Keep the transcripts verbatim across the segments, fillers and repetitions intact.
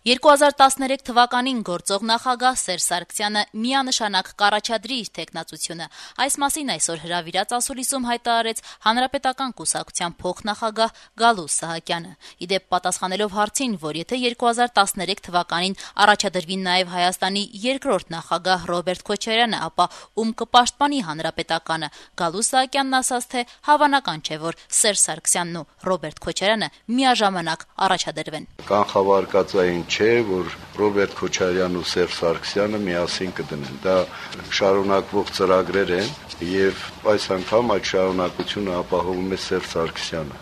երկու հազար տասներեք թվականին գործող նախագահ Սերժ Սարգսյանը միանշանակ կառաջադրի իր թեկնածությունը։ Այս մասին այսօր հրավիրած ասուլիսում հայտարարեց Հանրապետական կուսակցության փոխնախագահ Գալուստ Սահակյանը։ Ի դեպ, պատասխանելով հարցին, որ եթե երկու հազար տասներեք թվականին առաջադրվի նաև Հայաստանի երկրորդ նախագահ Ռոբերտ Քոչարյանը, ապա ում կպաշտպանի Հանրապետականը, Գալուստ Սահակյանն ասաց, թե հավանական չէ, որ Սերժ Սարգսյանն ու Ռոբերտ Քոչարյանը միաժամանակ առաջադրվեն։ Կանխավարկածային չէ, որ Ռոբերտ Քոչարյանն ու Սերժ Սարգսյանը միասին կդնեն։ Դա շարունակվող ծրագրեր են, եւ այս անգամ այդ շարունակությունը ապահովում է Սերժ Սարգսյանը։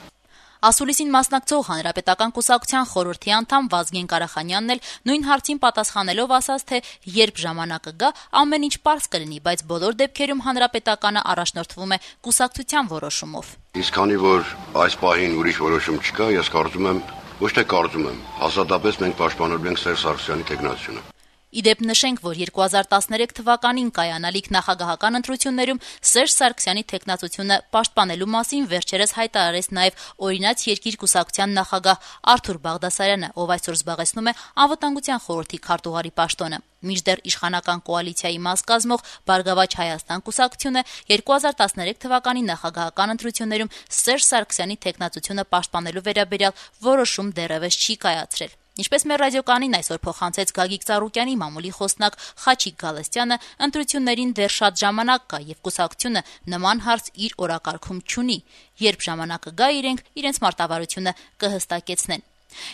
Ասուլիսին մասնակցող Հանրապետական կուսակցության խորհրդի անդամ Վազգեն Կարախանյանն էլ նույն հարցին պատասխանելով ասաց, թե երբ ժամանակը գա, ամեն ինչ պարզ կլինի, բայց բոլոր դեպքերում Հանրապետականը առաջնորդվում է կուսակցության որոշումով։ Իսկ քանի որ այս պահին ուրիշ որոշում չկա, ես կարծում եմ, ոչ թե կարծում եմ, հաստատապես մենք պաշտպանելու ենք Սերժ Սարգսյանի թեկնածությունը։ Ի դեպ, նշենք, որ երկու հազար տասներեք թվականին կայանալիք նախագահական ընտրություններում Սերժ Սարգսյանի թեկնածությունը պաշտպանելու մասին վերջերս հայտարարեց նաև օրինաց երկիր կուսակցության նախագահ Արթուր Բաղդասարյանը, ով այսօր զբաղեցնում է Անվտանգության խորհրդի քարտուղարի պաշտոնը։ Մինչդեռ իշխանական կոալիցիայի մաս կազմող Բարգավաճ Հայաստան կուսակցությունը երկու հազար տասներեք թվականի նախագահական ընտրություններում Սերժ Սարգսյանի թեկնածությունը պաշտպանելու վերաբերյալ որոշում դեռևս չի կայացրել։ Ինչպես մեր ռադիոկանին այսօր փոխանցեց Գագիկ Ծառուկյանի մամուլի խոսնակ Խաչիկ Գալստյանը, ընտրություններին դեռ շատ ժամանակ կա եւ կուսակցությունը նման հարց իր օրակարգում չունի։ Երբ ժամանակը գա, իրենք իրենց մարտավարությունը կհստակեցնեն։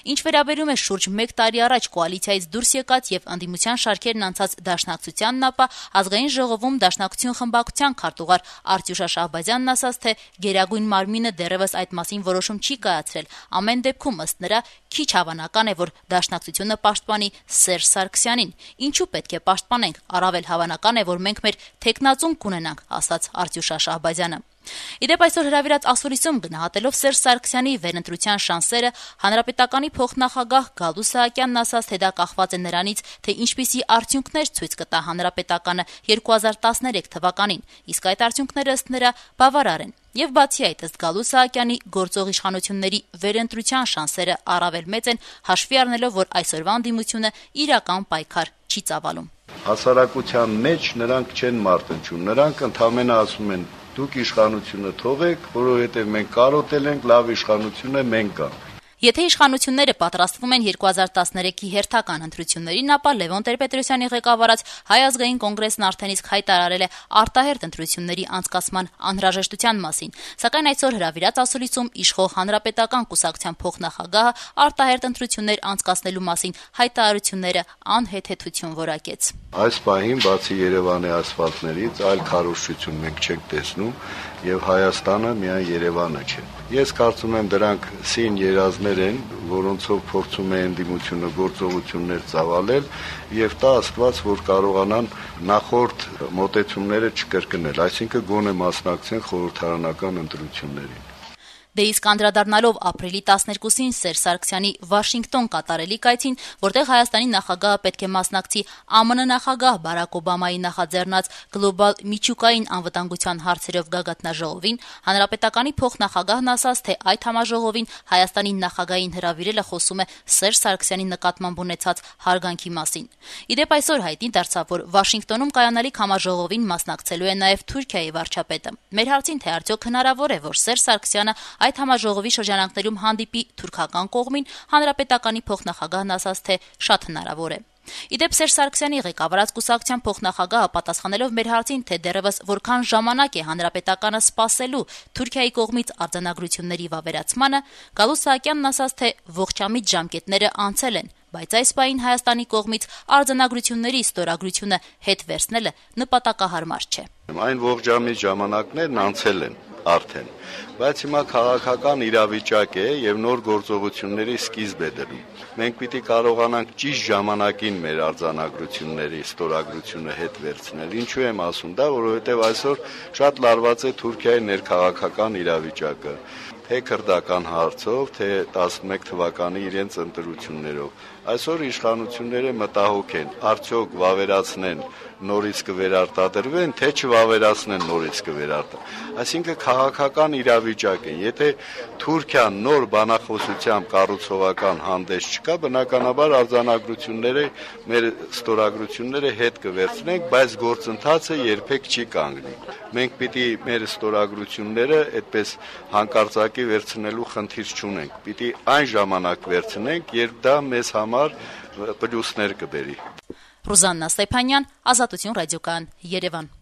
Ինչ վերաբերում է շուրջ մեկ տարի առաջ կոալիցիայից դուրս եկած եւ ընդդիմության շարքերն անցած Դաշնակցությանն, ապա ազգային ժողովում Դաշնակցություն խմբակցության քարտուղար Արտյուշ Շահբազյանն ասաց, թե Գերագույն մարմինը դեռևս այդ մասին որոշում չի կայացրել։ Ամեն դեպքում, ըստ նրա, քիչ հավանական է, որ Դաշնակցությունը պաշտպանի Սերժ Սարգսյանին։ Ինչու պետք է պաշտպանենք, առավել հավանական է, որ մենք մեր թեկնածուն կունենանք, ասաց Արտյուշ Շահբազյանը։ Իդեպ այսօր հրավիրած ասուլիսում գնահատելով Սերժ Սարգսյանի վերընտրության շանսերը, Հանրապետականի փոխնախագահ Գալուստ Սահակյանն ասաց, թե դա կախված է նրանից, թե ինչպիսի արդյունքներ ցույց կտա Հանրապետականը երկու հազար տասներեք թվականին, իսկ այդ արդյունքները ըստ նրա բավարար են։ Եվ բացի այդ, ըստ Գալուստ Սահակյանի, գործող իշխանությունների վերընտրության շանսերը առավել մեծ են, հաշվի առնելով, որ այսօրվա ընդդիմությունը իրական պայքար չի ծավալում։ Հասարակության մեջ նրանք չեն մարտնչում, նրանք ընդհանրապես ասում են դուք իշխանությունը թողեք, որովհետև մենք կարոտել ենք, լավ իշխանություն է, մենք կանք։ Եթե իշխանությունները պատրաստվում են երկու հազար տասներեքի հերթական ընտրություններին, ապա Լևոն Տեր-Պետրոսյանի ղեկավարած Հայ ազգային կոնգրեսն արդեն իսկ հայտարարել է արտահերթ ընտրությունների անցկացման անհրաժեշտության մասին, սակայն այսօր հրավիրած ասուլիսում իշխող Հանրապետական կուսակցության փոխնախագահը արտահերթ ընտրություններ անցկացնելու մասին հայտարարությունները անհեթեթություն որակեց։ Այս պահին բացի Երևանի ասֆալտներից այլ քարոզչություն մենք չենք տեսնում եւ Հայաստանը միայն Երևանը չէ։ Ես կարծում եմ դրանք սին երազներ են, որոնցով փորձում է ընդդիմությունը գործողություններ ծավալել եւ տա Աստված, որ կարողանան նախորդ մոտեցումները չկրկնել, այսինքն գոնե մասնակցեն խորհրդարանական ընտրություններին։ Դե իսկ անդրադառնալով ապրիլի տասներկուսին Սերժ Սարգսյանի Վաշինգտոն կատարելի կայցին, որտեղ Հայաստանի նախագահը պետք է մասնակցի Α M N նախագահ Բարակ Օբամայի նախաձեռնած գլոբալ միջուկային անվտանգության հարցերով գագաթնաժողովին, Հանրապետականի փոխնախագահն ասաց, թե այդ համաժողովին Հայաստանի նախագահին հրավիրելը խոսում է Սերժ Սարգսյանի նկատմամբ ունեցած հարգանքի մասին։ Իդեպ այսօր հայտնի դարձավ, որ Վաշինգտոնում կայանալիք համաժողովին մասնակցելու է նաև Թուրքիայի վարչապետը։ Մեր հարցին, թե արդյոք հնարավոր է, որ Սերժ Սարգսյանը այդ համաժողովի շրջանակներում հանդիպի թուրքական կողմին, Հանրապետականի փոխնախագահն ասաց, թե շատ հնարավոր է։ Իդեպ Սերժ Սարգսյանի ղեկավարած կուսակցության փոխնախագահը պատասխանելով մեր հարցին, թե դեռևս որքան ժամանակ է Հանրապետականը սպասելու Թուրքիայի կողմից արձանագրությունների վավերացմանը, Գալուստ Սահակյանն ասաց, թե ողջամիտ ժամկետները անցել են, բայց այս պահին Հայաստանի կողմից արձանագրությունների ստորագրությունը հետ վերցնելը նպատակահարմար չէ։ Այն ողջամիտ ժամանակներն անցել են արդեն, բայց հիմա քաղաքական իրավիճակ է եւ նոր գործողությունների սկիզբ է դնում։ Մենք պիտի կարողանանք ճիշտ ժամանակին մեր արձանագրությունների ստորագրությունը հետ վերցնել։ Ինչու եմ ասում դա, որովհետեւ այսօր շատ լարված է Թուրքիայի ներքաղաքական իրավիճակը։ թե քրդական հարցով, թե տասնմեկ թվականի իրենց ընտրություններով։ Այսօր իշխանությունները մտահոգ են, արդյոք վավերացնեն, նորից կվերարտադրվեն, թե չվավերացնեն, նորից կվերարտադրվեն։ Այսինքն քաղաքական իրավիճակ է։ Եթե Թուրքիան նոր բանախոսությամբ կառուցողական հանդես չկա, բնականաբար արձանագրությունները, մեր ստորագրությունները հետ կվերցնենք, բայց գործընթացը երբեք չի կանգնի։ Մենք պիտի մեր ստորագրությունները այդպես հանկարծակի վերցնելու խնդիր չունենք։ Պիտի այն ժամանակ վերցնենք, երբ դա մեզ համար պլյուսներ կբերի։ Ռուզաննա Ստեփանյան, Ազատություն ռադիոկայան, Երևան։